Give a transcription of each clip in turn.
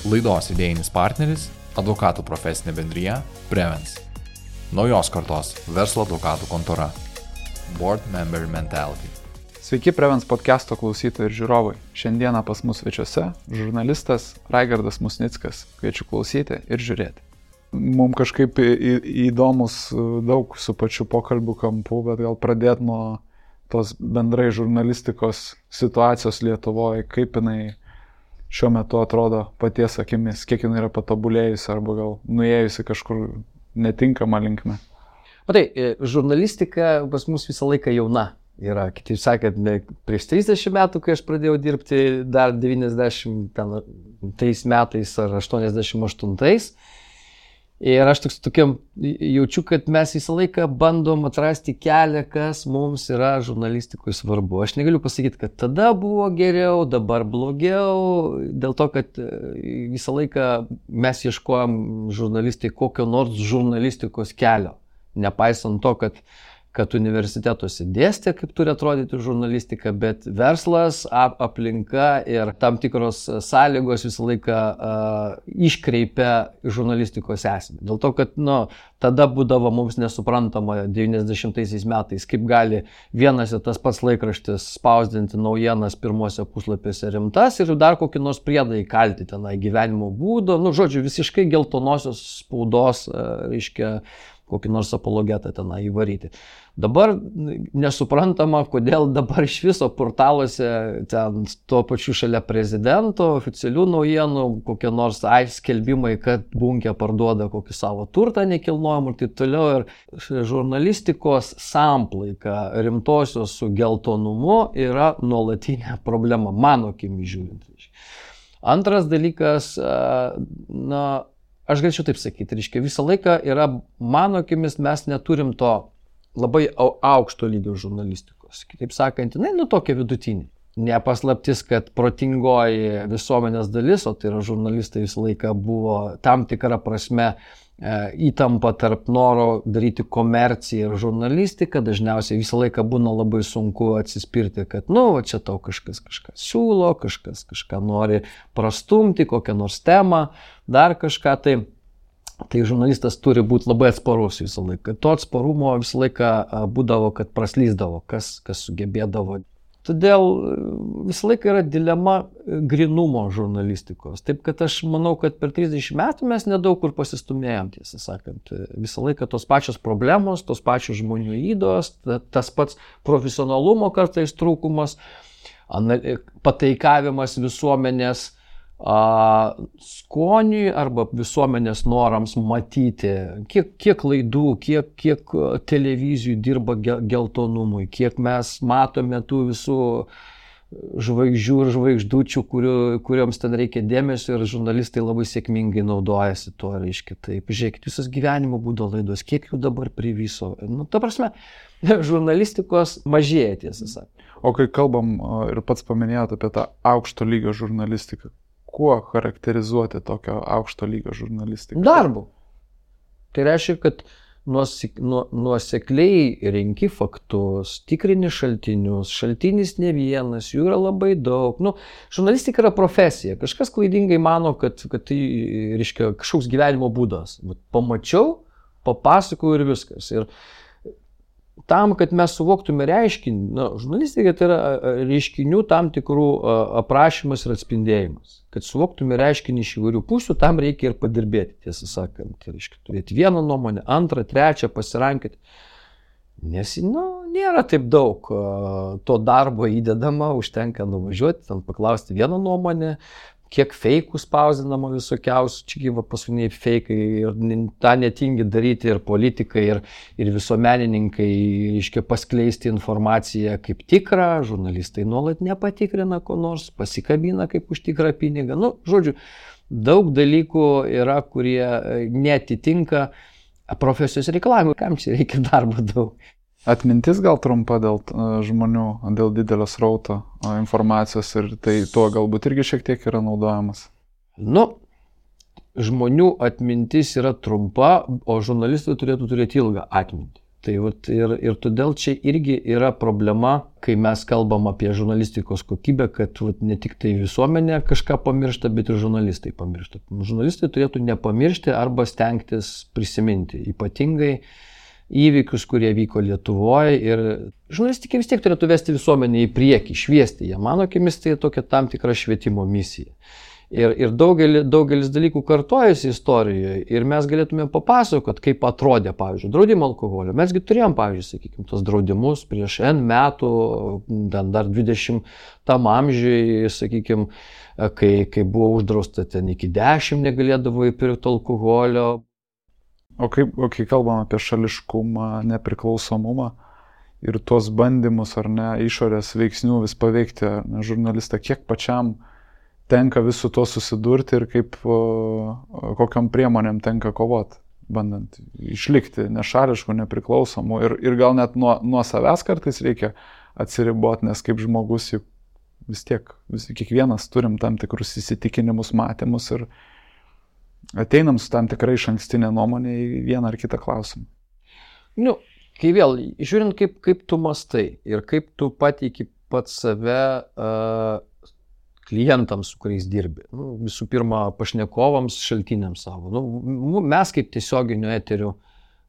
Laidos idėjinis partneris – advokatų profesinė bendrija Prevens. Naujos kartos verslo advokatų kontora. Board Member Mentality. Sveiki Prevens podcast'o klausytojai ir žiūrovai. Šiandieną pas mus svečiuose žurnalistas Raigardas Musnickas. Kviečiu klausyti ir žiūrėti. Mums kažkaip įdomus daug su pačiu pokalbių kampu, bet gal pradėti nuo tos bendrai žurnalistikos situacijos Lietuvoje, kaip jinai šiuo metu atrodo paties akimis, kiek jinai yra patobulėjusi arba gal nuėjusi kažkur netinkamą linkmę. Matai, žurnalistika pas mus visą laiką jauna yra. Kitaip sakant, prieš 30 metų, kai aš pradėjau dirbti dar 90 metais ar 88. Ir aš tokiam jaučiu, kad mes visą laiką bandom atrasti kelią, kas mums yra žurnalistikui svarbu. Aš negaliu pasakyti, kad tada buvo geriau, dabar blogiau, dėl to, kad visą laiką mes ieškojom žurnalistai kokio nors žurnalistikos kelio. Nepaisant to, kad universitetuose dėstė, kaip turi atrodyti žurnalistika, bet verslas, aplinka ir tam tikros sąlygos visą laiką iškreipia žurnalistikos esmę. Dėl to, kad tada būdavo mums nesuprantama 90 metais, kaip gali vienas ir tas pats laikraštis spausdinti naujienas pirmuose puslapiuose rimtas ir dar kokį nors priedą įkalti tenai gyvenimo būdo, žodžiu, visiškai geltonosios spaudos, reiškia, kokį nors apologetą tenai įvaryti. Dabar nesuprantama, kodėl dabar iš viso portaluose ten tuo pačiu šalia prezidento, oficialių naujienų, kokie nors skelbimai, kad Bunkė parduoda kokį savo turtą nekilnojamą ir taip toliau. Ir žurnalistikos samplaika rimtosios su geltonumu yra nuolatinė problema, mano akimi žiūrint. Antras dalykas, aš galėčiau taip sakyti, reiškia, visą laiką yra, mano akimis, mes neturim to labai aukšto lygio žurnalistikos. Kitaip sakant, tokia vidutinė. Nepaslaptis, kad protingoji visuomenės dalis, o tai yra žurnalistai visą laiką buvo tam tikra prasme įtampa tarp noro daryti komerciją ir žurnalistiką. Dažniausiai visą laiką būna labai sunku atsispirti, kad čia tau kažkas kažką siūlo, kažkas kažką nori prastumti, kokią nors temą, dar kažką. Tai žurnalistas turi būti labai atsparus visą laiką. To atsparumo visą laiką būdavo, kad praslysdavo, kas sugebėdavo. Todėl visą laiką yra dilema grynumo žurnalistikos. Taip, kad aš manau, kad per 30 metų mes nedaug kur pasistumėjom, tiesą sakant. Visą laiką tos pačios problemos, tos pačios žmonių ydos, tas pats profesionalumo kartais trūkumas, pataikavimas visuomenės skoniui arba visuomenės norams matyti, kiek laidų, kiek televizijų dirba geltonumui, kiek mes matome tų visų žvaigždžių ir žvaigždučių, kurioms ten reikia dėmesio ir žurnalistai labai sėkmingai naudojasi tuo, reiškia. Taip, žiūrėkit, visos gyvenimo būdo laidos, kiek jų dabar priviso. Ta prasme, žurnalistikos mažėja, tiesą sakant. O kai kalbam ir pats paminėjot apie tą aukšto lygio žurnalistiką, kuo charakterizuoti tokio aukšto lygio žurnalistiką? Darbu. Tai reiškia, kad nuosekliai renki faktus, tikrini šaltinius, šaltinis ne vienas, jų yra labai daug. Žurnalistika yra profesija. Kažkas klaidingai mano, kad tai reiškia kažkoks gyvenimo būdas. Pamačiau, papasakau ir viskas. Ir tam, kad mes suvoktume reiškinį, žurnalistika tai yra reiškinių tam tikrų aprašymas ir atspindėjimas. Kad suvoktume reiškinį iš įvairių pusių, tam reikia ir padirbėti, tiesą sakant. Tai reiškia turėti vieną nuomonę, antrą, trečią, pasirankyti. Nes, nėra taip daug to darbo įdedama, užtenka nuvažiuoti, ten paklausti vieną nuomonę, kiek feikų spausdinama visokiausių, čia paskutiniai feikai ir tą netingi daryti ir politikai, ir visuomenininkai, reiškia, paskleisti informaciją kaip tikrą, žurnalistai nuolat nepatikrina ko nors, pasikabina kaip už tikrą pinigą. Žodžiu, daug dalykų yra, kurie netitinka profesijos reikalavimų, kam čia reikia darbo daug. Atmintis gal trumpa dėl žmonių, dėl didelio srauto informacijos ir tai tuo galbūt irgi šiek tiek yra naudojamas. Žmonių atmintis yra trumpa, o žurnalistai turėtų turėti ilgą atmintį. Tai ir todėl čia irgi yra problema, kai mes kalbam apie žurnalistikos kokybę, kad ne tik tai visuomenė kažką pamiršta, bet ir žurnalistai pamiršta. Žurnalistai turėtų nepamiršti arba stengtis prisiminti, ypatingai įvykius, kurie vyko Lietuvoje, ir žurnalistika vis tiek turėtų vesti visuomenę į priekį, šviesti ją. Mano akimis tai tokia tam tikra švietimo misija. Ir daugelis dalykų kartojasi istorijoje ir mes galėtume papasakoti, kaip atrodė, pavyzdžiui, draudimo alkoholio. Mesgi turėjom, pavyzdžiui, sakykime, tos draudimus prieš N metų, dar 20 amžiui, sakykime, kai buvo uždrausta ten iki 10 negalėdavo įpirkti alkoholio. O kai kalbam apie šališkumą, nepriklausomumą ir tuos bandymus ar ne išorės veiksnių vis paveikti žurnalistą, kiek pačiam tenka vis su to susidurti ir kokiam priemonėm tenka kovoti, bandant išlikti nešališkų, nepriklausomų ir gal net nuo savęs kartais reikia atsiriboti, nes kaip žmogus juk vis tiek, kiekvienas turim tam tikrus įsitikinimus, matymus ir ateinam su tam tikrai išankstinė nuomonė į vieną ar kitą klausimą. Kai vėl, žiūrint kaip tu mastai ir kaip tu pateiki pats save klientams, su kuriais dirbi. Visų pirma, pašnekovams, šaltiniams savo. Mes kaip tiesioginio eterių,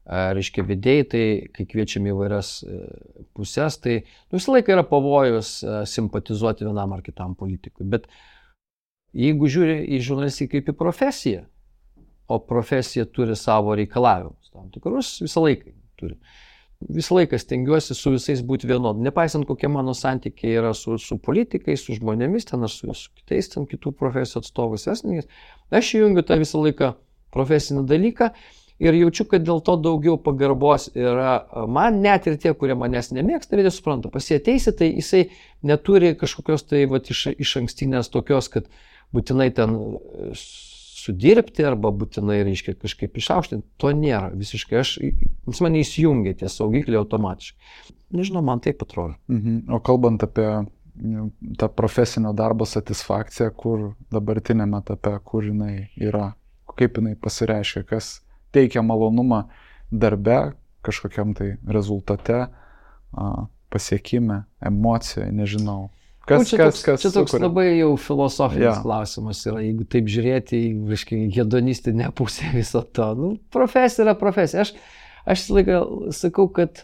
reiškia vedėjai, tai kai kviečiam įvairias pusės, tai visą laiką yra pavojus simpatizuoti vienam ar kitam politikui. Bet jeigu žiūri į žurnalistiką kaip į profesiją, o profesija turi savo reikalavimus, tam tikrus visą laiką turi. Visą laiką stengiuosi su visais būti vienodų, nepaisant kokie mano santykiai yra su politikais, su žmonėmis, ten ar su kitais, ten kitų profesijų atstovais, vesininkais. Aš įjungiu tą visą laiką profesinį dalyką ir jaučiu, kad dėl to daugiau pagarbos yra man, net ir tie, kurie manęs nemėgsta, ir jie supranta, pas jį ateisi, tai jisai neturi kažkokios tai iš ankstinės tokios, kad būtinai ten sudirbti arba būtinai, reiškia, kažkaip išaukštinti, to nėra visiškai. Jis mane įsijungia tie saugikliai automatiškai. Nežinau, man taip atrodo. O kalbant apie tą profesinio darbo satisfakciją, kur dabartinėme etape, kur jinai yra, kaip jinai pasireiškia, kas teikia malonumą darbe, kažkokiam tai rezultate, pasiekime, emocijoje, nežinau. Čia toks labai jau filosofinis klausimas yra, jeigu taip žiūrėti į hedonistinę pusę viso to. Profesija yra profesija. Aš visą laiką sakau, kad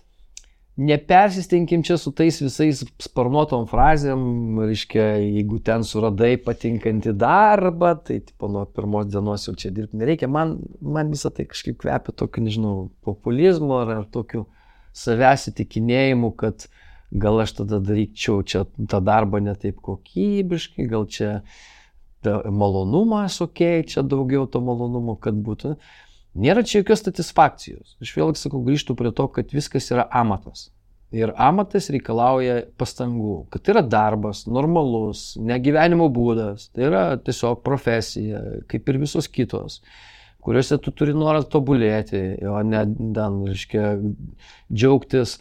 nepersistengim čia su tais visais sparnuotom frazėm, reiškia, jeigu ten suradai patinkantį darbą, tai nuo pirmos dienos jau čia dirbti nereikia. Man visą tai kažkaip kvepia tokiu, nežinau, populizmu ar tokiu savęs įtikinėjimu, kad gal aš tada daryčiau čia tą darbą ne taip kokybiškai, gal čia malonumas, čia daugiau to malonumo, kad būtų. Nėra čia jokios satisfakcijos. Aš vėlgi sakau, grįžtu prie to, kad viskas yra amatas. Ir amatas reikalauja pastangų, kad tai yra darbas, normalus, ne gyvenimo būdas, tai yra tiesiog profesija, kaip ir visos kitos, kuriuose tu turi norą tobulėti, o ne, reiškia, džiaugtis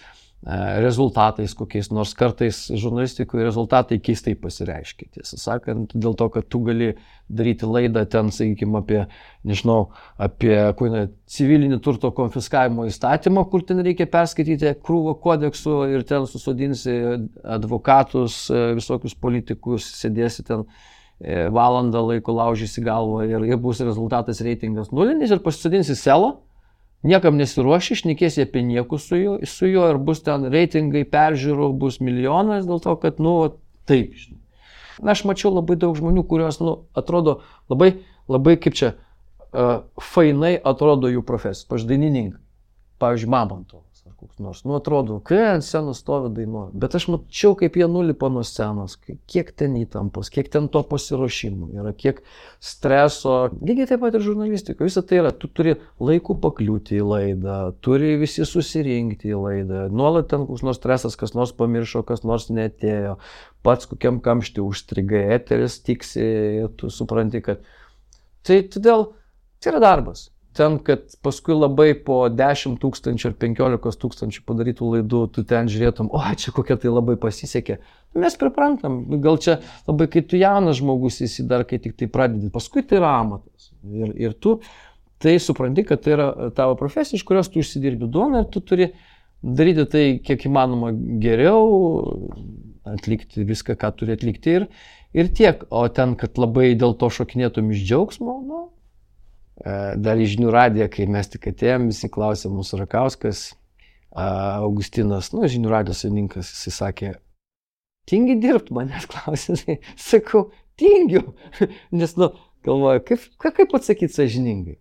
rezultatais kokiais, nors kartais žurnalistikoje rezultatai keistai pasireiškia. Tiesą sakant, dėl to, kad tu gali daryti laidą ten, sakykime, apie civilinį turto konfiskavimo įstatymą, kur ten reikia perskaityti krūvą kodeksų ir ten susodinsi advokatus, visokius politikus, sėdėsi ten valandą laiko, laužysi galvą ir bus rezultatas reitingas nulinis ir pasisodinsi selą. Niekam nesiruoši, šnekėsi apie niekus su juo ir bus ten reitingai, peržiūrų, bus milijonas dėl to, kad, taip, žinai. Aš mačiau labai daug žmonių, kurios, atrodo labai kaip čia, fainai atrodo jų profesija. Pavyzdžiui, dainininkai. Pavyzdžiui, Mamontovas ar koks nors. Atrodo, kai ant scenos stovi dainuoja. Bet aš mačiau, kaip jie nulipa nuo scenos, kiek ten įtampos, kiek ten to pasiruošimų yra, kiek streso. Lygiai taip pat ir žurnalistika. Visą tai yra, tu turi laiku pakliūti į laidą, turi visi susirinkti į laidą. Nuolat ten koks nors stresas, kas nors pamiršo, kas nors neatėjo. Pats kokiam kamštį užstrigai, eteris tiksi ir tu supranti, kad tai todėl tai yra darbas. Ten, kad paskui labai po 10 000 ar 15 000 padarytų laidų, tu ten žiūrėtum, čia kokia tai labai pasisekė. Mes priprantam, gal čia labai, kai tu jaunas žmogus esi dar, kai tik tai pradedi, paskui tai yra amatas. Ir tu tai supranti, kad tai yra tavo profesija, iš kurios tu užsidirbi duoną ir tu turi daryti tai kiek įmanoma geriau, atlikti viską, ką turi atlikti ir tiek. O ten, kad labai dėl to šokinėtum iš džiaugsmo, nu, dar į žinių radiją, kai mes tik atėjom, visi klausė mūsų Rakauskas, Augustinas, nu, žinių radijos savininkas, jisai sakė, tingi dirbti, manęs klausė, sakau, tingiu, nes, nu, galvoju, kaip atsakyti sąžiningai.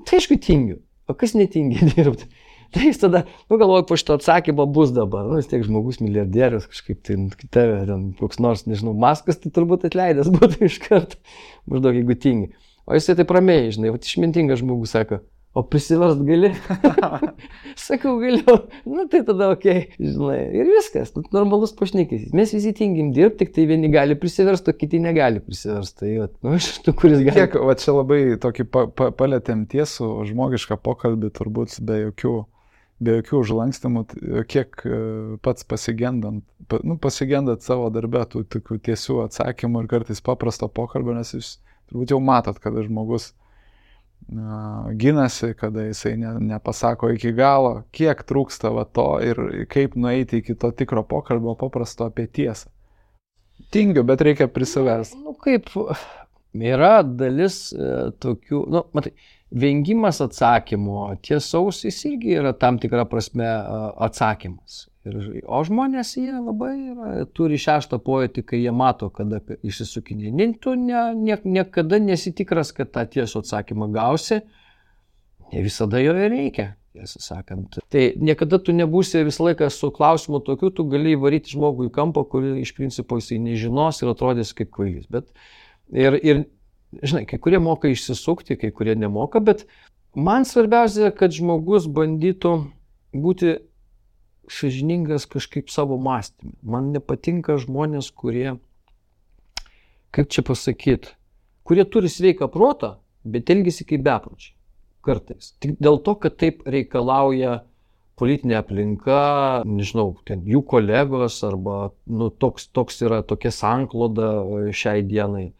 Tai aišku, tingiu, o kas netingi dirbti? Tai jis tada, nu, galvoju, po šito atsakymo bus dabar, nu, vis tiek žmogus milijardierius, kažkaip tai tave, ten, koks nors, nežinau, Maskas, tai turbūt atleidęs būtų iš karto, maždaug, jeigu tingi. O jisai taip ramiai, žinai, išmintingas žmogus sako, o prisiverst gali? Sakau, galiu, nu, tai tada okei, žinai, ir viskas, nu, normalus pašnekės. Mes visi tingim dirbti, tik tai vieni gali prisiversti, o kiti negali prisiversti. Tai, nu, iš tų, kuris gali. Kiek, va čia labai tokį palėtėm tiesų, žmogišką pokalbį, turbūt be jokių užlankstimų, kiek pats pasigendat savo darbę tų tokių tiesių atsakymų ir kartais paprasto pokalbio, nes jūs turbūt jau matot, kada žmogus ginasi, kada jisai nepasako iki galo, kiek trūksta va to ir kaip nueiti iki to tikro pokalbio paprasto apie tiesą. Tingiu, bet reikia prisivesti. Nu, kaip yra dalis tokių, nu, matai, vengimas atsakymo, tiesaus jis irgi yra tam tikra prasme atsakymas. O žmonės jie labai turi šeštą pojūtį, kai jie mato, kada išsisukinė. Tu niekada nesitikras, kad tą tiesų atsakymą gausi, ne visada jo ir reikia, tiesą sakant. Tai niekada tu nebūsi visą laiką su klausimu tokiu, tu gali įvaryti žmogų į kampą, kurį iš principo jisai nežinos ir atrodys kaip kvailys. Bet ir žinai, kai kurie moka išsisukti, kai kurie nemoka, bet man svarbiausia, kad žmogus bandytų būti sąžiningas kažkaip savo mąstymą. Man nepatinka žmonės, kurie, kaip čia pasakyti, kurie turi sveiką protą, bet elgiasi kaip bepročiai. Kartais. Tik dėl to, kad taip reikalauja politinė aplinka, nežinau, ten jų kolegos arba nu, toks yra tokia sankloda šiai dienai.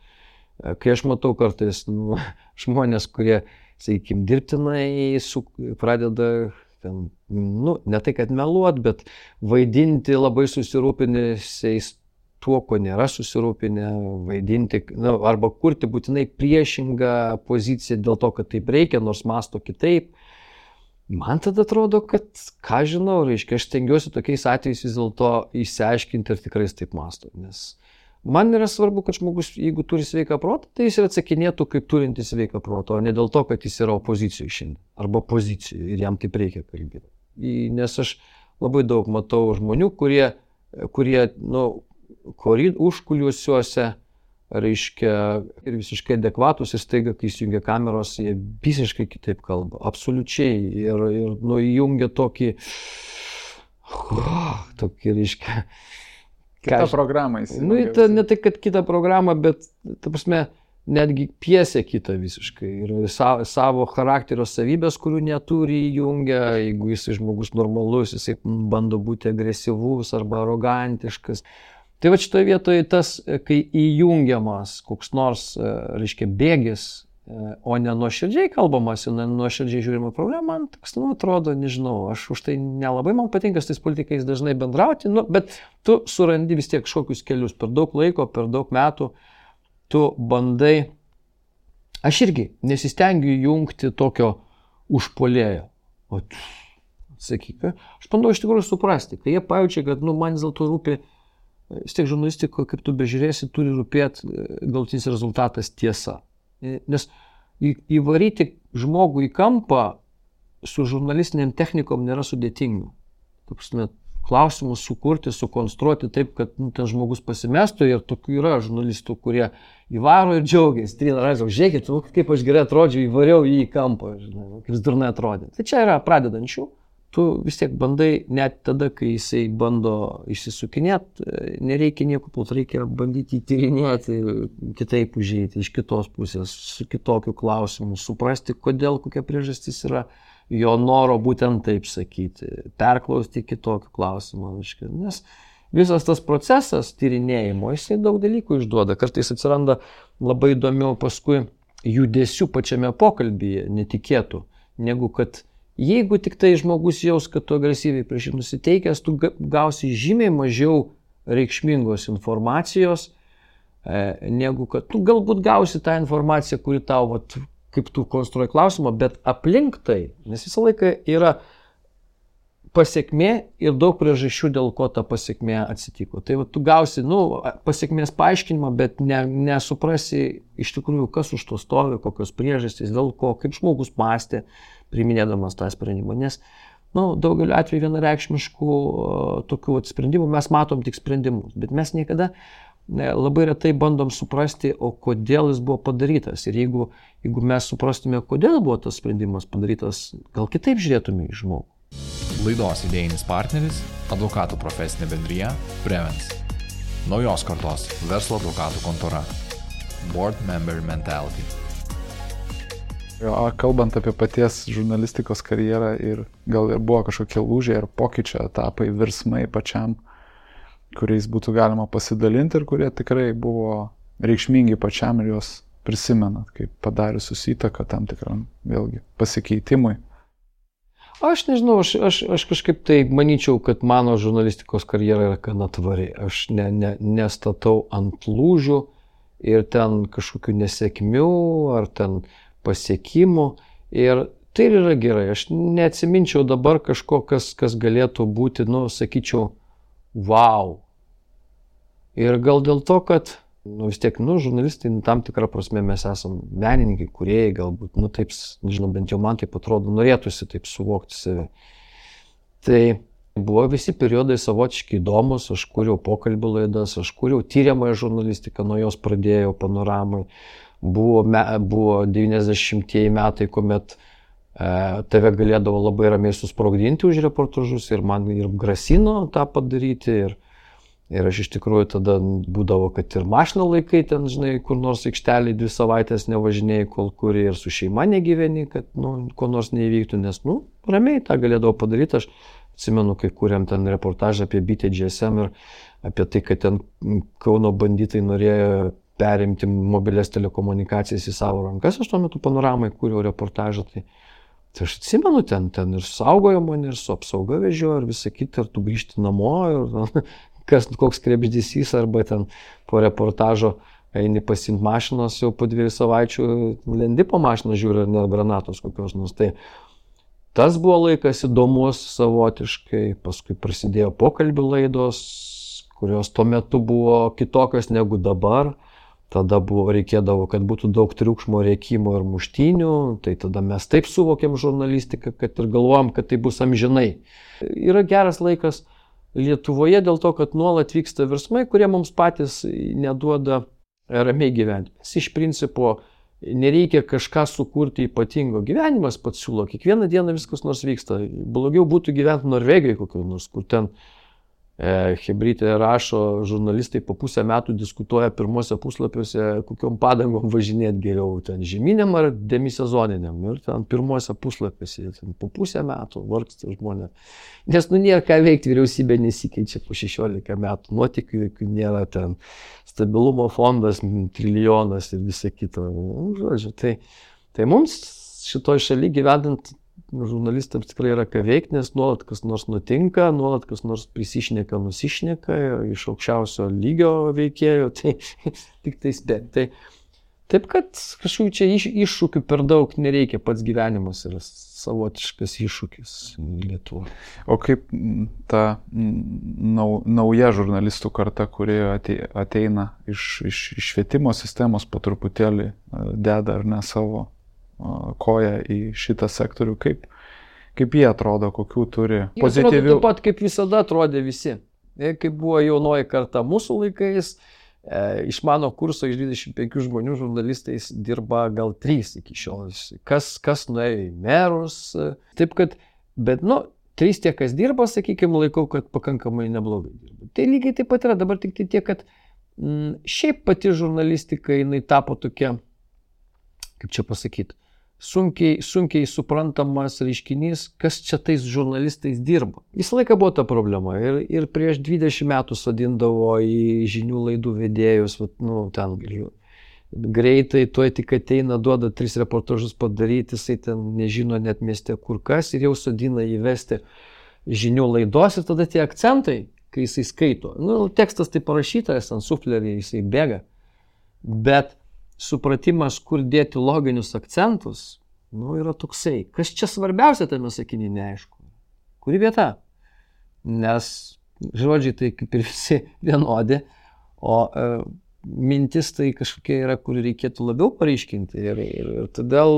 Kai aš matau kartais žmonės, kurie, sakykime, dirbtinai pradeda ten, nu, ne tai, kad meluot, bet vaidinti labai susirūpinęs tuo, ko nėra susirūpinę, vaidinti, nu, arba kurti būtinai priešingą poziciją dėl to, kad taip reikia, nors mąsto kitaip. Man tada atrodo, kad, ką žinau, reiškia, aš stengiuosi tokiais atvejais vis dėlto išsiaiškinti, ar tikrai taip mąsto. Nes man yra svarbu, kad žmogus, jeigu turi sveiką protą, tai jis ir atsakinėtų kaip turintis sveiką protą, o ne dėl to, kad jis yra opozicijoje šiandien, arba pozicijoje ir jam taip reikia kalbėti. Nes aš labai daug matau žmonių, kurie nu, užkuliuosiuose, reiškia, ir visiškai adekvatus ir staiga, kai įsijungia kameros, jie visiškai kitaip kalba, absoliučiai, ir nu, įjungia tokį, reiškia, kitą programą nu, ne tai, kad kitą programą, bet, ta prasme, netgi piesę kitą visiškai. Ir savo charakterio savybės, kurių neturi, įjungia. Jeigu jis žmogus normalus, jisai bando būti agresyvus arba arogantiškas. Tai va šitoje vietoje tas, kai įjungiamas koks nors, reiškia, bėgis, o ne nuoširdžiai kalbamas, ne nuoširdžiai žiūrima problema, man toks, nu, atrodo, nežinau, aš už tai nelabai man patinka su tais politikais dažnai bendrauti, nu, bet tu surandi vis tiek kažkokius kelius per daug laiko, per daug metų, tu bandai, aš irgi nesistengiu jungti tokio užpuolėjo, o sakyk, aš bandau iš tikrųjų suprasti, kai jie pajaučia, kad, nu, man vis dėlto rūpi, vis tiek žurnalistiko, kaip tu bežiūrėsi, turi rūpėti galutinis rezultatas tiesa. Nes įvaryti žmogų į kampą su žurnalistiniam technikom nėra sudėtinga. Klausimus sukurti, sukonstruoti taip, kad nu, ten žmogus pasimestų ir tokių yra žurnalistų, kurie įvaro ir džiaugiasi. Trina Raizo, žiūrėkit, kaip aš gerai atrodžiau, įvariau jį į kampą, žinai, kaip jis durnai atrodė. Tai čia yra pradedančių. Tu vis tiek bandai, net tada, kai jisai bando išsisukinėti, nereikia nieko pult, reikia bandyti įtyrinėti, kitaip užeiti, iš kitos pusės, su kitokiu klausimu, suprasti, kodėl, kokia priežastis yra jo noro būtent taip sakyti, perklausti kitokių klausimų. Nes visas tas procesas tyrinėjimo, jisai daug dalykų išduoda. Kartais atsiranda labai įdomių paskui judesių pačiame pokalbyje, netikėtų, negu kad Jeigu tik tai žmogus jaus, kad tu agresyviai prieš jį nusiteikęs, tu gausi žymiai mažiau reikšmingos informacijos, negu kad tu galbūt gausi tą informaciją, kuri tau, vat, kaip tu konstruoji klausimą, bet aplink tai, nes visą laiką yra pasiekmė ir daug priežasčių, dėl ko ta pasiekmė atsitiko. Tai va, tu gausi pasiekmės paaiškinimą, bet nesuprasi iš tikrųjų, kas už to stovi, kokios priežastys, dėl ko, kaip žmogus mąstė, priminėdamas tą sprendimą. Nes daugeliu atveju vienareikšmiškų tokių sprendimų mes matom tik sprendimus, bet mes niekada labai retai bandom suprasti, o kodėl jis buvo padarytas. Ir jeigu mes suprastume, kodėl buvo tas sprendimas padarytas, gal kitaip žiūrėtume į žmogų. Laidos idėjinis partneris – advokatų profesinė bendrija Prevens. Naujos kartos verslo advokatų kontora. Board Member Mentality. Kalbant apie paties žurnalistikos karjerą ir gal ir buvo kažkokie lūžiai ar pokyčio etapai, virsmai pačiam, kuriais būtų galima pasidalinti ir kurie tikrai buvo reikšmingi pačiam ir juos prisimenat, kaip padariusius įtaką tam tikram vėlgi pasikeitimui. Aš nežinau, aš kažkaip tai manyčiau, kad mano žurnalistikos karjera yra gana tvari. Aš nestatau ant lūžių ir ten kažkokių nesėkmių ar ten pasiekimų. Ir tai yra gerai. Aš neatsiminčiau dabar kažko, kas galėtų būti, sakyčiau, wow. Ir gal dėl to, kad vis tiek, žurnalistai, tam tikrą prasme mes esam menininkai, kūrėjai, galbūt, taip, nežinau, bent jau man taip atrodo, norėtųsi taip suvokti save. Tai buvo visi periodai savotiškai įdomus, aš kūriau pokalbių laidas, aš kūriau tyriamąją žurnalistiką, nuo jos pradėjau Panoramai. Buvo 90-ieji metai, kuomet tave galėdavo labai ramiai susprogdinti už reportažus ir man ir grasino tą padaryti. Ir aš iš tikrųjų tada būdavo, kad ir mašino laikai ten, žinai, kur nors aikštelį 2 savaitės nevažinėjai, kol kuri ir su šeima negyveni, kad, ko nors neįvyktų, nes, ramiai tą galėdavo padaryti. Aš atsimenu, kai kūrėm ten reportažą apie bitę GSM ir apie tai, kad ten Kauno banditai norėjo perimti mobilias telekomunikacijas į savo rankas. Aš tuo metu Panoramai kūriau reportažą, tai aš atsimenu, ten ir saugojo mane, ir su apsauga vežiojo, ir visą kitą, ir tu grįžti namo, ir koks krebždysys, arba ten po reportažo eini pasiimti mašinos, jau po 2 savaičių lendi po mašiną, žiūri, ar ne granatos kokios nors. Tai tas buvo laikas įdomus savotiškai, paskui prasidėjo pokalbių laidos, kurios tuo metu buvo kitokios negu dabar. Tada reikėdavo, kad būtų daug triukšmo, rėkimo ir muštynių, tai tada mes taip suvokėm žurnalistiką, kad ir galvojom, kad tai bus amžinai. Yra geras laikas Lietuvoje dėl to, kad nuolat vyksta virsmai, kurie mums patys neduoda ramiai gyventi. Mes iš principo nereikia kažką sukurti ypatingo. Gyvenimas pats siūlo, kiekvieną dieną viskas nors vyksta. Blogiau būtų gyventi Norvegijoje kokiu nors, kur ten Hebrytė rašo, žurnalistai po pusę metų diskutuoja pirmuose puslapiuose, kokiom padangom važinėti geriau, ten žeminiam ar demisezoniniam. Ir ten pirmuose puslapiuose, po pusę metų vargsta žmonės. Nes nėra ką veikti, vyriausybė nesikeičia po 16 metų, nuotykių nėra, ten stabilumo fondas, trilijonas ir visa kita. Žodžiu, tai mums šitoj šaly gyvenant žurnalistams tikrai yra ką veikti, nes nuolat kas nors nutinka, nuolat kas nors prisišneka, nusišneka iš aukščiausio lygio veikėjų, tai tik tai spėti. Taip, kad kažkokių čia iššūkių per daug nereikia, pats gyvenimas yra savotiškas iššūkis Lietuvoje. O kaip ta nauja žurnalistų karta, kuri ateina iš švietimo sistemos, po truputėlį deda ar ne savo koją į šitą sektorių, kaip jie atrodo, kokių turi pozityvių. Taip pat kaip visada atrodė visi. Kaip buvo jaunoji karta mūsų laikais, iš mano kurso iš 25 žmonių žurnalistais dirba gal 3 iki šiol. Kas nuėjo į merus. Taip kad, bet 3 tie, kas dirba, sakykime, laikau, kad pakankamai neblogai dirba. Tai lygiai taip pat yra dabar tik tiek, kad šiaip pati žurnalistika, jinai tapo tokia, kaip čia pasakyti, sunkiai suprantamas reiškinys, kas čia tais žurnalistais dirba. Visą laiką buvo ta problema ir prieš 20 metų sodindavo į žinių laidų vedėjus, ten greitai, tuoj tik ateina, duoda 3 reportažus padaryti, jisai ten nežino net mieste kur kas ir jau sodina įvesti žinių laidos ir tada tie akcentai, kai jisai skaito. Tekstas tai parašytas, ant suflerį jisai bėga, bet supratimas, kur dėti loginius akcentus, yra toksai. Kas čia svarbiausia tame sakinyje, neaišku. Kuri vieta? Nes žodžiai tai kaip ir visi vienodi, o mintis tai kažkokia yra, kur reikėtų labiau pareiškinti. Ir todėl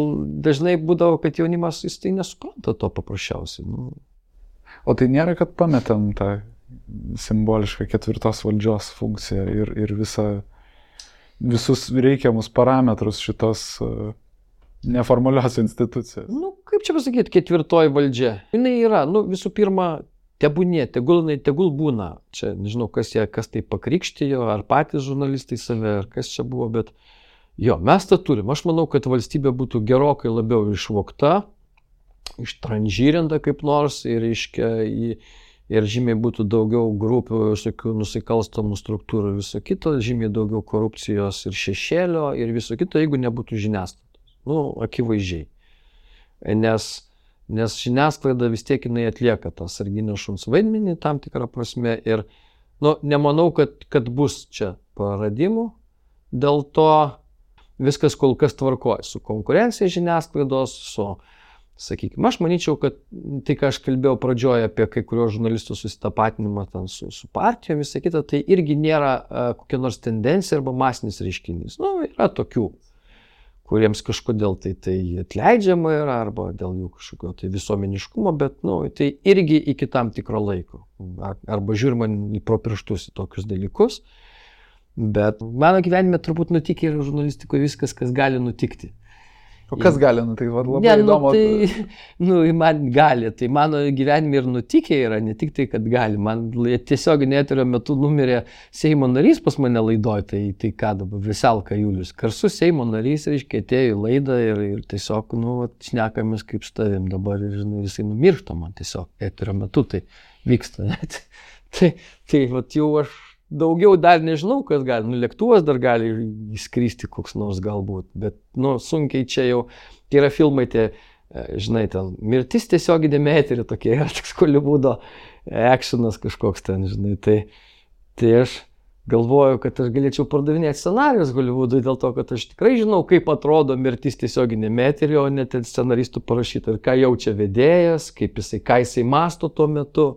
dažnai būdavo, kad jaunimas jis tai nesupranta to paprasčiausiai. O tai nėra, kad pametam tą simbolišką 4 valdžios funkciją ir visus reikiamus parametrus šitos neformalios institucijos. Kaip čia pasakyti, 4 valdžia? Jinai yra, visų pirma, tebūnie, tegul būna. Čia nežinau, kas tai pakrikštijo, ar patys žurnalistai save, ar kas čia buvo, bet mes tą turim. Aš manau, kad valstybė būtų gerokai labiau išvogta, ištranžyrinta kaip nors ir žymiai būtų daugiau grupių, visokių nusikalstamų struktūrų, viso kito, žymiai daugiau korupcijos ir šešėlio ir viso kito, jeigu nebūtų žiniasklaidos. Akivaizdžiai. Nes žiniasklaida vis tiek jinai atlieka tą sarginio šuns vaidmenį tam tikrą prasme ir nemanau, kad bus čia praradimų. Dėl to viskas kol kas tvarkoja su konkurencija žiniasklaidos, sakykime, aš manyčiau, kad tai, ką aš kalbėjau pradžioje apie kai kurios žurnalistų susitapatinimą su partijomis, visą kitą, tai irgi nėra kokia nors tendencija arba masinis reiškinys. Yra tokių, kuriems kažkodėl tai atleidžiama yra, arba dėl jų kažkokio tai visuomeniškumo, bet tai irgi iki tam tikro laiko. Arba žiūrima pro pirštus į tokius dalykus. Bet mano gyvenime turbūt nutikė ir žurnalistikoje viskas, kas gali nutikti. O kas gali nutikti? Labai įdomu. Man gali. Tai mano gyvenime ir nutikė yra, ne tik tai, kad gali. Man tiesioginio eterio metu numirė Seimo narys pas mane laidoj, tai ką dabar, Veselka Julius. Karsu Seimo narys, reiškia, atėjo į laidą ir tiesiog, šnekamės kaip su tavim dabar ir, jisai numiršta man tiesiog eterio metu, tai vyksta. Tai jau aš daugiau dar nežinau, kas gali. Lėktuvas dar gali įskristi koks nors galbūt, bet sunkiai čia jau, yra filmai tie, žinai, ten mirtis tiesioginėme etery tokie, yra toks Holivudo actionas kažkoks ten, žinai, tai aš galvoju, kad aš galėčiau pardavinėti scenarijus Holivudui dėl to, kad aš tikrai žinau, kaip atrodo mirtis tiesioginėme etery, o net scenaristų parašyta, ir ką jaučia vedėjas, ką jisai masto tuo metu.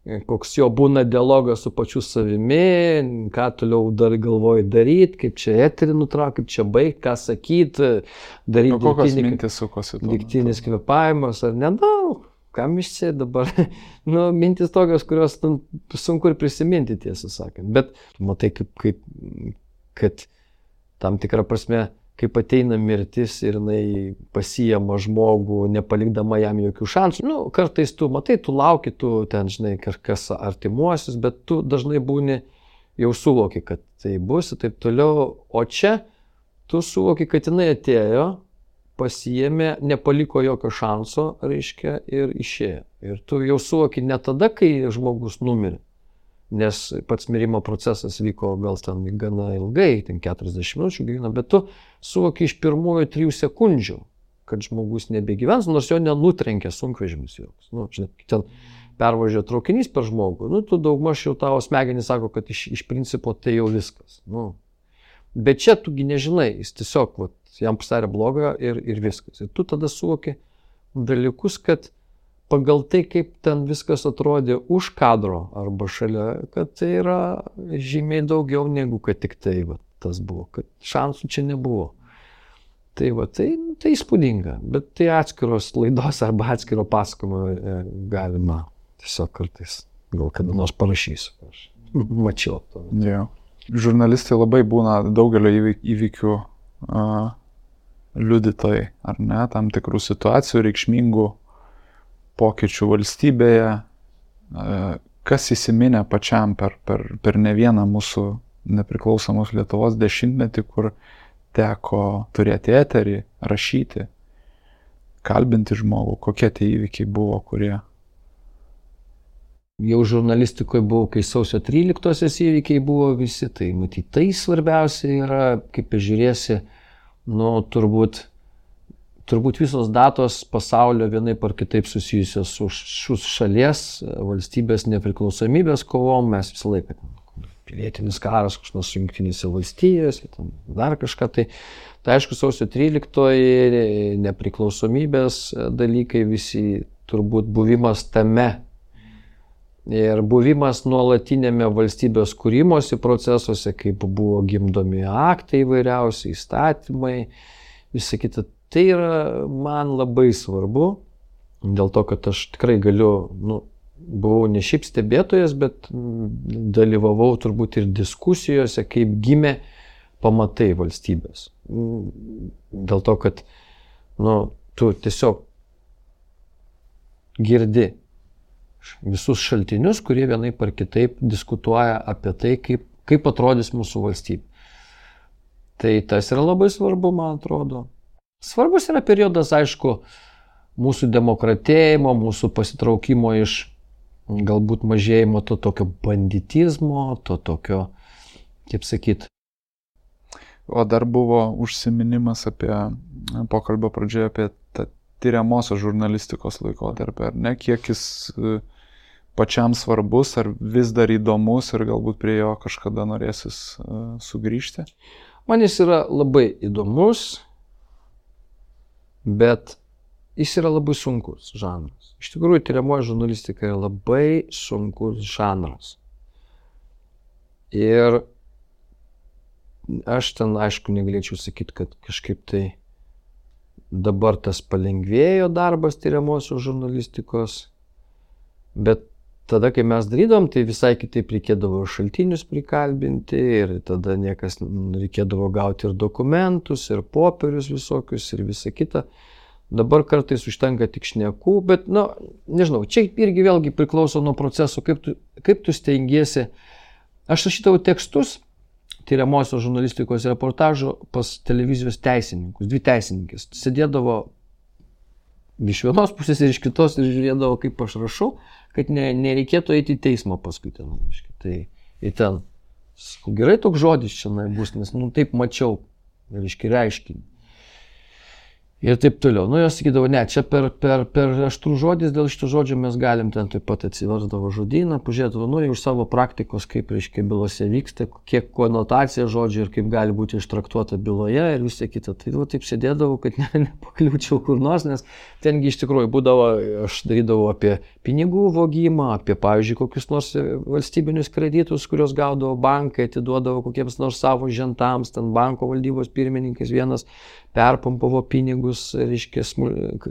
Koks jo būna dialogas su pačiu savimi, ką toliau dar galvoji daryti, kaip čia eterį nutraukti, kaip čia baigti, ką sakyti, daryti kokios mintis sukosi. Dirbtinis kvėpavimas ar ne, kam iš čia dabar, mintis tokios, kurios sunku ir prisiminti, tiesą sakant, bet matai, kad tam tikrą prasme, kaip ateina mirtis ir jinai pasiima žmogų, nepalikdama jam jokių šansų. Kartais tu matai, tu lauki, tu ten, žinai, kažkas artimuosius, bet tu dažnai būni, jau suvoki, kad tai bus ir taip toliau. O čia tu suvoki, kad jinai atėjo, pasiėmė, nepaliko jokio šanso, reiškia, ir išėjo. Ir tu jau suvoki ne tada, kai žmogus numirė. Nes pats mirimo procesas vyko gal ten gana ilgai, ten 40 minučių gyvena, bet tu suvoki iš pirmųjų 3 sekundžių, kad žmogus nebegyvens, nors jo nenutrenkė sunkvežimis joks. Žinai, ten pervažiuoja traukinys per žmogų, tu daugmaž jau tavo smegenys sako, kad iš principo tai jau viskas. Bet čia tugi nežinai, jis tiesiog jam pasidarė blogą ir viskas. Ir tu tada suvoki dalykus, kad pagal tai, kaip ten viskas atrodė už kadro arba šalia, kad tai yra žymiai daugiau negu kad tik tai tas buvo, kad šansų čia nebuvo. Tai įspūdinga, bet tai atskiros laidos arba atskiro pasakojimo galima tiesiog kartais, gal kada nors parašysiu. Aš mačiau to. Žurnalistai labai būna daugelio įvykių liudytojai, ar ne, tam tikrų situacijų reikšmingų pokyčių valstybėje, kas įsiminė pačiam per ne vieną mūsų nepriklausomos Lietuvos dešimtmetį, kur teko turėti eterį, rašyti, kalbinti žmogų, kokie tie įvykiai buvo, kurie jau žurnalistikoje buvau, kai sausio 13-osios įvykiai buvo visi, tai matyt, tai svarbiausia yra, kaip žiūrėsi, turbūt visos datos pasaulio vienaip ar kitaip susijusios su šalies, valstybės nepriklausomybės kovom, mes visą laiką pilietinis karas, kažkas Jungtinėse valstijose, dar kažką, tai aišku, sausio 13 nepriklausomybės dalykai visi, turbūt buvimas tame ir buvimas nuolatinėme valstybės kūrimosi procesuose, kaip buvo gimdomi aktai įvairiausi, įstatymai, visa kita. Tai yra man labai svarbu, dėl to, kad aš tikrai galiu, buvau ne šiaip stebėtojas, bet dalyvavau turbūt ir diskusijose, kaip gimė pamatai valstybės. Dėl to, kad tu tiesiog girdi visus šaltinius, kurie vienaip ar kitaip diskutuoja apie tai, kaip atrodys mūsų valstybė. Tai tas yra labai svarbu, man atrodo. Svarbus yra periodas, aišku, mūsų demokratėjimo, mūsų pasitraukimo iš galbūt mažėjimo to tokio banditizmo, to tokio, kaip sakyt. O dar buvo užsiminimas apie pokalbio pradžioje apie tą tyriamosios žurnalistikos laikotarpį, ar ne? Kiek jis pačiam svarbus, ar vis dar įdomus ir galbūt prie jo kažkada norėsis sugrįžti? Man jis yra labai įdomus, bet jis yra labai sunkus žanras. Iš tikrųjų, tyriamoji žurnalistika yra labai sunkus žanras. Ir aš ten, aišku, negalėčiau sakyti, kad kažkaip tai dabar tas palengvėjo darbas tyriamosios žurnalistikos, bet tada, kai mes darydom, tai visai kitaip reikėdavo šaltinius prikalbinti ir tada reikėdavo gauti ir dokumentus, ir popierius visokius, ir visa kita. Dabar kartais užtenka tik šnekų, bet, nežinau, čia irgi vėlgi priklauso nuo proceso, kaip tu stengiesi. Aš rašydavau tekstus tyriamosios žurnalistikos reportažų pas televizijos teisininkus, 2 teisininkės. Sėdėdavo iš vienos pusės ir iš kitos ir žiūrėdavo, kaip aš rašau, kad nereikėtų eiti į teismą paskui ten. Tai ir ten, gerai toks žodis čia bus, nes taip mačiau, reiškinį. Ir taip toliau. Jos sakydavo, ne, čia per aštrų žodis, dėl šito žodžio mes galim ten taip pat atsiversdavo žodyną, pažiūrėdavo, jau iš savo praktikos, kaip, bylose vyksta, kiek konotacija žodžių ir kaip gali būti ištraktuota byloje ir visą kitą. Tai taip sėdėdavau, kad nepakliūčiau kur nors, nes tengi iš tikrųjų būdavo, aš darydavau apie pinigų vogimą, apie, pavyzdžiui, kokius nors valstybinius kreditus, kuriuos gaudavo bankai, atiduodavo kokiems nors savo žentams, ten banko valdybos pirmininkas vienas perpumpavo pinigus,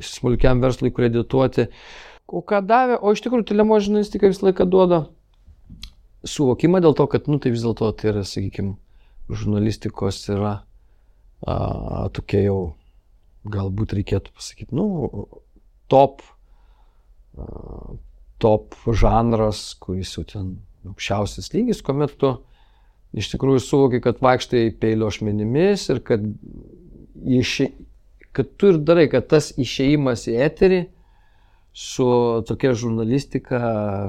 smulkiam verslui kredituoti. O ką davė? O iš tikrųjų, tyriamoji žurnalistika visą laiką duoda suvokimą dėl to, kad, tai vis dėlto tai yra, sakykime, žurnalistikos yra tokia jau, galbūt reikėtų pasakyti, top žanras, kuris jau ten aukščiausias lygis, kuomet tu iš tikrųjų suvoki, kad vaikštai peilio ašmenimis ir kad tu ir darai, kad tas išėjimas į eterį su tokia žurnalistika,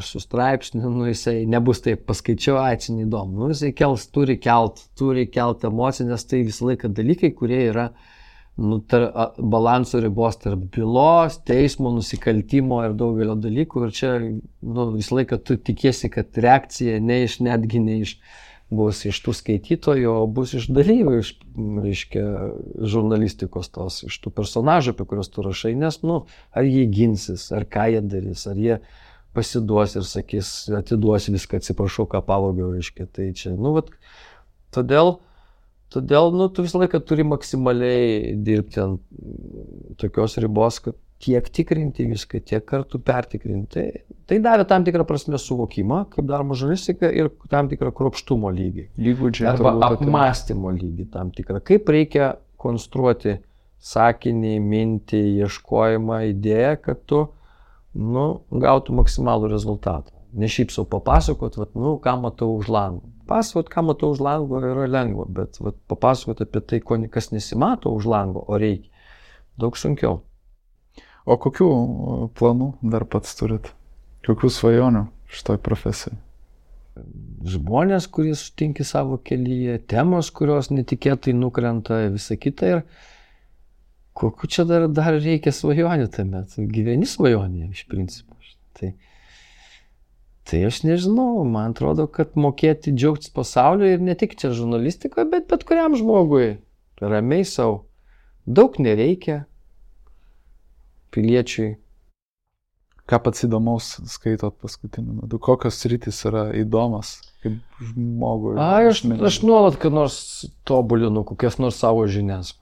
su straipsniu, jisai nebus taip paskaičiau, čia neįdomu. Jisai turi kelt emociją, nes tai visą laiką dalykai, kurie yra balanso ribos tarp bylos, teismo, nusikaltimo ir daugelio dalykų. Ir čia visą laiką tu tikiesi, kad reakcija netgi ne bus iš tų skaitytojų, o bus iš dalyvių, žurnalistikos tos, iš tų personažų, apie kuriuos tu rašai, nes, ar jie ginsis, ar ką jie darys, ar jie pasiduos ir sakys, atiduos viską, atsiprašau, ką pavogiau, tai čia, todėl, tu visą laiką turi maksimaliai dirbti ant tokios ribos, kad tiek tikrinti viską, tiek kartų pertikrinti. Tai davė tam tikrą prasme suvokimą, kaip daroma žurnalistika ir tam tikrą kruopštumo lygį. Įgūdžiai. Arba apmąstymo lygį tam tikrą. Kaip reikia konstruoti sakinį, mintį, ieškojimą, idėją, kad tu gautų maksimalų rezultatą. Ne šiaip savo papasakot, ką matau už lango. Pasakot, ką matau už lango yra lengva, bet papasakot apie tai, kas nesimato už lango, o reikia. Daug sunkiau. O kokių planų dar pats turit? Kokių svajonių šitoj profesijai? Žmonės, kurie sutinki savo kelyje, temos, kurios netikėtai nukrenta, visa kita. Ir kokiu čia dar reikia svajonių tame? Gyveni svajonė iš principo. Tai aš nežinau, man atrodo, kad mokėti džiaugtis pasauliu ir ne tik čia žurnalistikoje, bet kuriam žmogui ramiai savo. Daug nereikia piliečiui. Ką pats įdomaus skaitot paskutiniu metu? Kokios sritys yra įdomas kaip žmogui? Aš nuolat, kad nors tobulinu kokias nors savo žinias.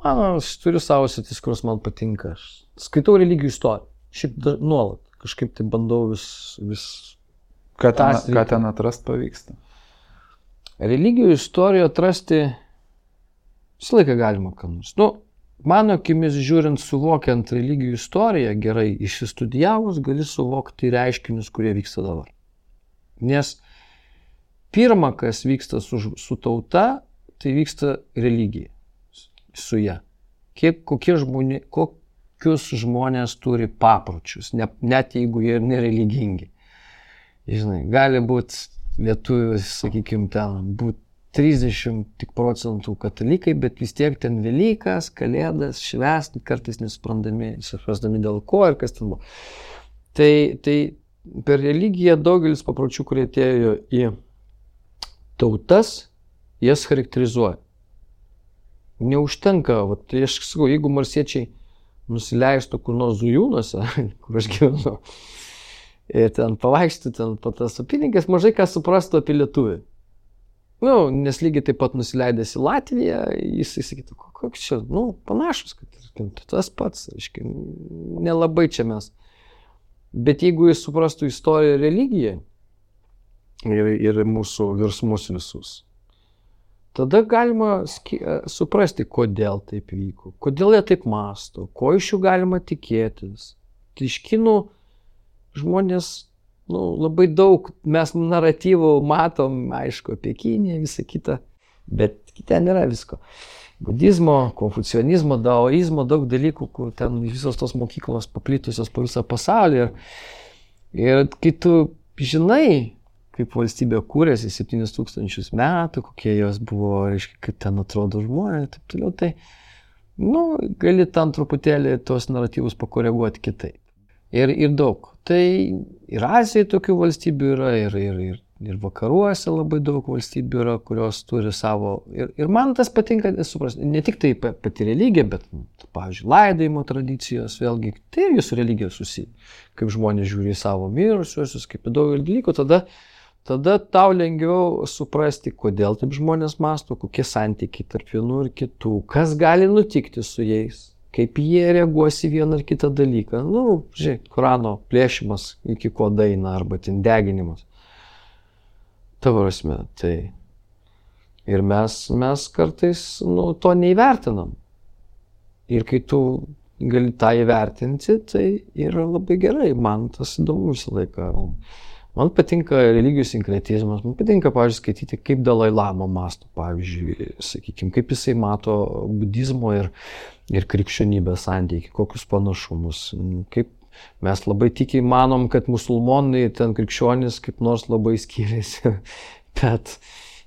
Aš turiu savo sritis, kurios man patinka. Aš skaitau religijų istoriją. Šiaip nuolat. Kažkaip tai bandau vis... Ką ten atrast pavyksta? Religijų istoriją atrasti visą laiką galima ką nors. Mano akimis žiūrint, suvokiant religijų istoriją gerai išsistudijavus, gali suvokti reiškinius, kurie vyksta dabar. Nes pirma, kas vyksta su tauta, tai vyksta religija su ja. Kokius žmonės turi papročius, net jeigu jie ir nereligingi. Žinai, gali būti lietuvių, sakykime, ten būti 30 procentų katalikai, bet vis tiek ten Velykas, Kalėdas, švęsti, kartais nesuprasdami dėl ko ir kas ten buvo. Tai per religiją daugelis papročių, kurie atėjo į tautas, jas charakterizuoja. Neužtenka, aš sakau, jeigu marsiečiai nusileistų kur nors Zujūnuose, kur aš gyvenu, ir ten pavaikštų, ten po tas apylinkės, mažai ką suprastų apie lietuvį. Nes lygiai taip pat nusileidęs į Latviją, jisai sakytų, koks čia, panašus, kad tas pats, aiškiai, nelabai čia mes. Bet jeigu jis suprastų istoriją ir religiją ir mūsų virsmus visus, tada galima suprasti, kodėl taip vyko, kodėl jie taip mąsto, ko iš jų galima tikėtis. Tai iš kinų žmonės labai daug mes naratyvų matom, aišku, apie Kiniją, visą kitą, bet ten yra visko. Budizmo, konfucionizmo, daoizmo, daug dalykų, kur ten visos tos mokyklos paplitusios po visą pasaulį. Ir kai tu žinai, kaip valstybė kūrėsi 7000 metų, kokie jos buvo, reiškia, kaip ten atrodo žmonės, taip toliau, tai, gali tam truputėlį tos naratyvus pakoreguoti kitaip. Ir daug. Tai ir Azijoje tokių valstybių yra, ir vakaruose labai daug valstybių yra, kurios turi savo. Ir man tas patinka, suprasti, ne tik tai pati religija, bet, pavyzdžiui, laidojimo tradicijos, vėlgi, tai irgi su religija susiję. Kaip žmonės žiūri į savo mirusiuosius, kaip į daugelį dalykų, tada tau lengviau suprasti, kodėl taip žmonės mąsto, kokie santykiai tarp vienų ir kitų, kas gali nutikti su jais. Kaip jie reaguos į vieną ar kitą dalyką. Žiūrėk, Korano plėšimas iki ko daina arba ten deginimas. Tavo prasme, tai. Ir mes kartais to neįvertinam. Ir kai tu gali tą įvertinti, tai yra labai gerai. Man tas įdomu visą laiką. Man patinka religijų sinkretizmas, man patinka, pavyzdžiui, skaityti, kaip Dalai Lama mąsto, pavyzdžiui, sakykime, kaip jisai mato budizmo ir krikščionybės santykį, kokius panašumus. Kaip mes labai tikiai manom, kad musulmonai ten krikščionys kaip nors labai skiriasi, bet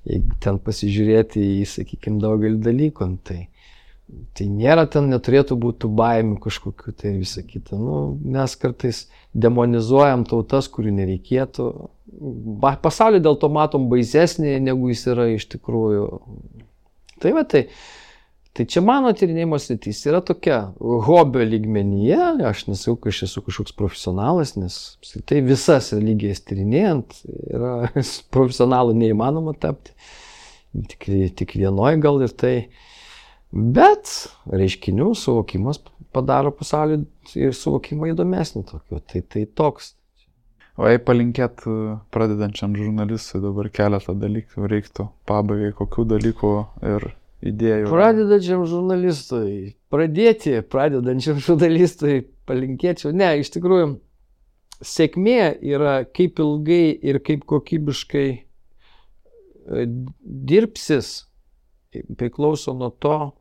jeigu ten pasižiūrėti į, sakykime, daugelį dalykų, tai nėra ten, neturėtų būti baimių kažkokių, tai visą kitą. Mes kartais demonizuojam tautas, kurių nereikėtų. Pasaulį dėl to matom baisesnį, negu jis yra iš tikrųjų. Tai čia mano tyrinėjimo sritis yra tokia hobio lygmenyje. Aš nesakau, kad aš esu kažkoks profesionalas, nes tai visas religijas tyrinėjant yra profesionalu neįmanoma tapti. Tik vienoj gal ir tai. Bet reiškinių suvokimas padaro pasaulį ir suvokimą įdomesnį tokiu. Tai toks. O jei palinkėt pradedančiam žurnalistui dabar keletą dalykų reiktų pabaigai, kokių dalykų ir idėjų? Pradedančiam žurnalistui palinkėčiau. Ne, iš tikrųjų, sėkmė yra kaip ilgai ir kaip kokybiškai dirbsis, priklauso nuo to,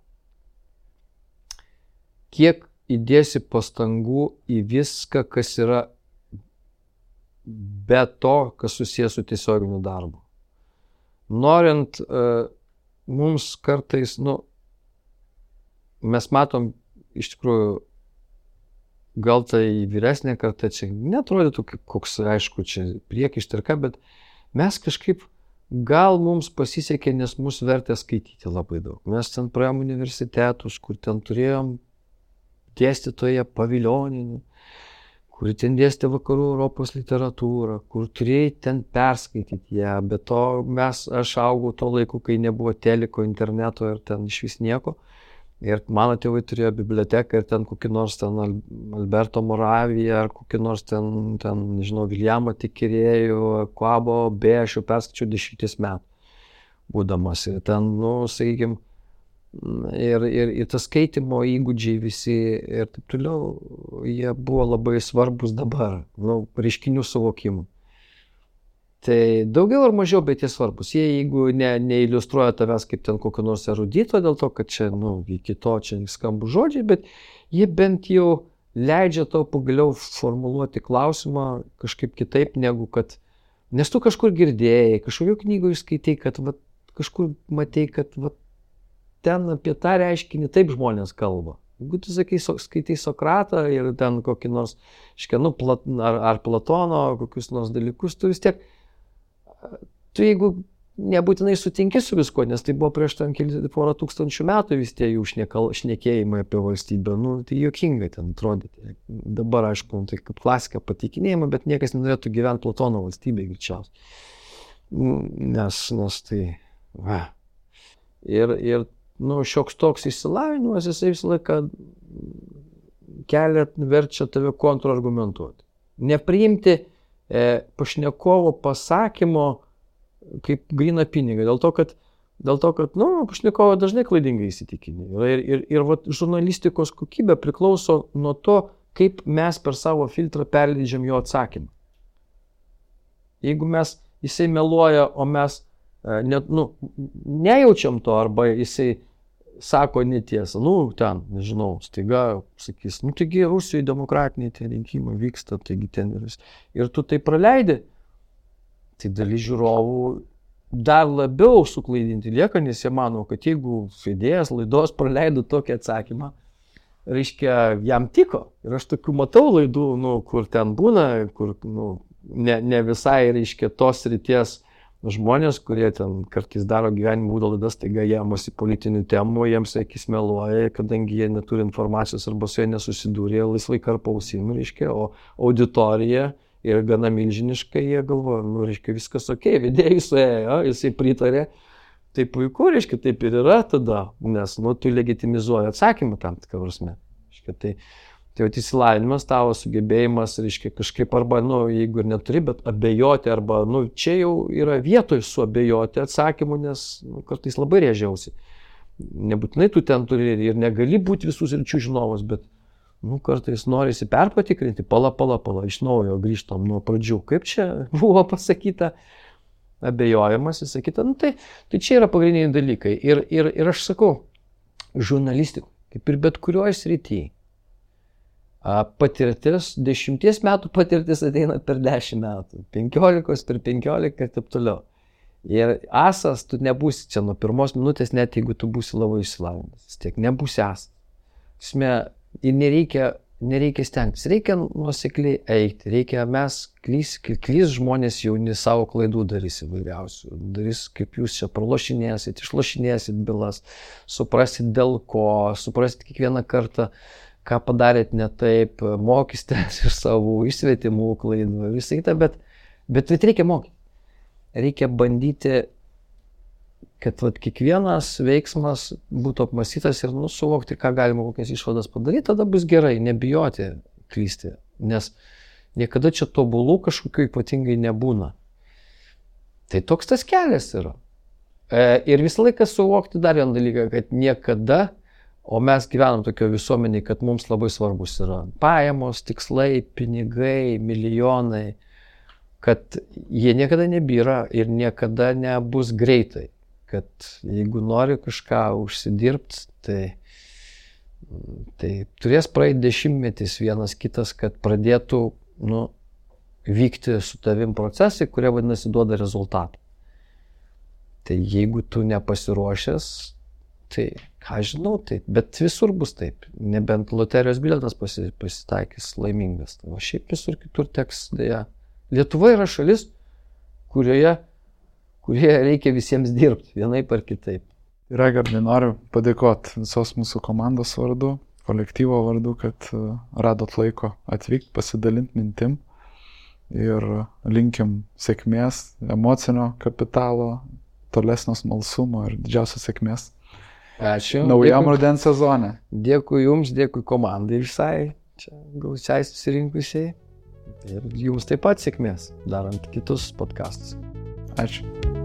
kiek įdėsi pastangų į viską, kas yra be to, kas susijęs su tiesioginiu darbu. Norint, mums kartais, mes matom iš tikrųjų, gal tai vyresnė karta čia netrodytų kaip koks, aišku, čia priekaištai, bet mes kažkaip, gal mums pasisekė, nes mus vertė skaityti labai daug. Mes ten praėjom universitetus, kur ten turėjom dėstytoją Paviljoninį, kur ten dėstė vakarų Europos literatūrą, kur turėjai ten perskaityti ją, bet to aš augau to laiku, kai nebuvo teliko, interneto ir ten iš vis nieko. Ir mano tėvai turėjo biblioteką ir ten kokį nors ten Alberto Moraviją ar kokį nors ten nežinau, Viljamą Tikirėjų, Kvabo, aš jau perskaičiau 10 metų būdamas. Ir ten, sakykime, ir tas skaitimo įgūdžiai visi ir taip toliau, jie buvo labai svarbus dabar, reiškinių suvokimų. Tai daugiau ar mažiau, bet jie svarbus. Jie, jeigu neiliustruoja tavęs kaip ten kokio nors erudito, dėl to, kad čia, iki to čia skambų žodžiai, bet jie bent jau leidžia tau pagaliau formuluoti klausimą kažkaip kitaip negu kad, nes tu kažkur girdėjai, kažkokiu knygoje skaitai, kad kažkur matei, kad ten apie tą reiškinį taip žmonės kalba. Jeigu tu skaitai Sokratą ir ten kokį nors, ar Platono, kokius nors dalykus, tu vis tiek tu jeigu nebūtinai sutinki su visko, nes tai buvo prieš ten porą tūkstančių metų vis tie jų šnekėjimai apie valstybę, tai juokingai ten atrodyti. Dabar, aišku, tai kaip klasika pateikinėjama, bet niekas nenorėtų gyventi Platono valstybėje greičiausiai. Nes tai, Ir šioks toks išsilavinimas, jisai visą laiką verčia tave kontrargumentuoti. Nepriimti pašnekovo pasakymo kaip gryną pinigą, dėl to, kad pašnekovo dažnai klaidingai įsitikinė. Ir žurnalistikos kokybė priklauso nuo to, kaip mes per savo filtrą perleidžiam jo atsakymą. Jeigu jisai meluoja, o mes nejaučiam to, arba jisai sako netiesą, staiga sakys, taigi Rusijoje demokratiniai tie rinkimai vyksta, taigi ten ir tu tai praleidi, tai dalis žiūrovų dar labiau suklaidinti lieka, nes jie mano, kad jeigu vedėjas laidos praleido tokį atsakymą, reiškia, jam tiko. Ir aš tokių matau laidų, kur ten būna, kur ne visai, reiškia, tos ryties žmonės, kurie ten kartais daro gyvenimo būdo laidas, taiga jėmasi politinių temų, jiems akis meluoja, kadangi jie neturi informacijos arba su jie nesusidūrė, laisvai karpo ausim, reiškia, o auditorija yra gana milžiniška, jie galvoja, reiškia, viskas okei, vedėjai suėjo, jisai pritarė, tai puiku, reiškia, taip ir yra tada, nes, tu legitimizuoji atsakymą tam tikrą prasme. Tai įsilavinimas tavo sugebėjimas, reiškia, kažkaip arba, jeigu ir neturi, bet abejoti, arba, čia jau yra vietoj suabejoti atsakymu, nes kartais labai rėžiausi. Nebūtinai tu ten turi ir negali būti visų sričių žinovas, bet, kartais norisi perpatikrinti, pala, iš naujo grįžtam nuo pradžių. Kaip čia buvo pasakyta, abejojimas, įsakyta, tai čia yra pagrindiniai dalykai. Ir aš sakau, žurnalistika, kaip ir bet kurioje srityje, patirtis, 10 metų patirtis ateina per 10 metų, 15 per 15 ir taip toliau. Ir asas tu nebūsi čia nuo pirmos minutės, net jeigu tu būsi labai išsilavinęs. Vis tiek nebūsi asas. Ir nereikia stengtis, reikia nuosekliai eiti, klys žmonės jauni savo klaidų darys įvairiausių, darys kaip jūs čia pralošinėsit, išlošinėsit bylas, suprasit dėl ko, suprasit kiekvieną kartą, ką padarėt ne taip, mokysitės iš savo išsvetimų klaidų, visai kitą, bet reikia mokyti. Reikia bandyti, kad kiekvienas veiksmas būtų apmąstytas ir suvokti, ką galima kokias išvadas padaryti, tada bus gerai, nebijoti klysti, nes niekada čia tobulų kažkokių ypatingai nebūna. Tai toks tas kelias yra. Ir visą laiką suvokti dar vieną dalyką, kad niekada, o mes gyvenam tokio visuomeniai, kad mums labai svarbus yra pajamos, tikslai, pinigai, milijonai, kad jie niekada nebyra ir niekada nebus greitai. Kad jeigu nori kažką užsidirbti, tai turės praeiti 10 metų vienas kitas, kad pradėtų vykti su tavim procesai, kurie vadinasi duoda rezultatą. Tai jeigu tu nepasiruošęs, tai ką žinau, tai, bet visur bus taip. Nebent loterijos bilietas pasitaikys laimingas. O šiaip visur kitur teks dėja. Lietuva yra šalis, kurioje reikia visiems dirbti, vienaip ar kitaip. Raigardai, noriu padėkoti visos mūsų komandos vardu, kolektyvo vardu, kad radot laiko atvykti, pasidalinti mintim ir linkim sėkmės, emocinio kapitalo, tolesnio smalsumo ir didžiausios sėkmės. Ačiū. Naujam rudens sezone. Dėkui jums, dėkui komandai visai, čia gausiai susirinkusiai. Ir jums taip pat sėkmės, darant kitus podcastus. Ačiū.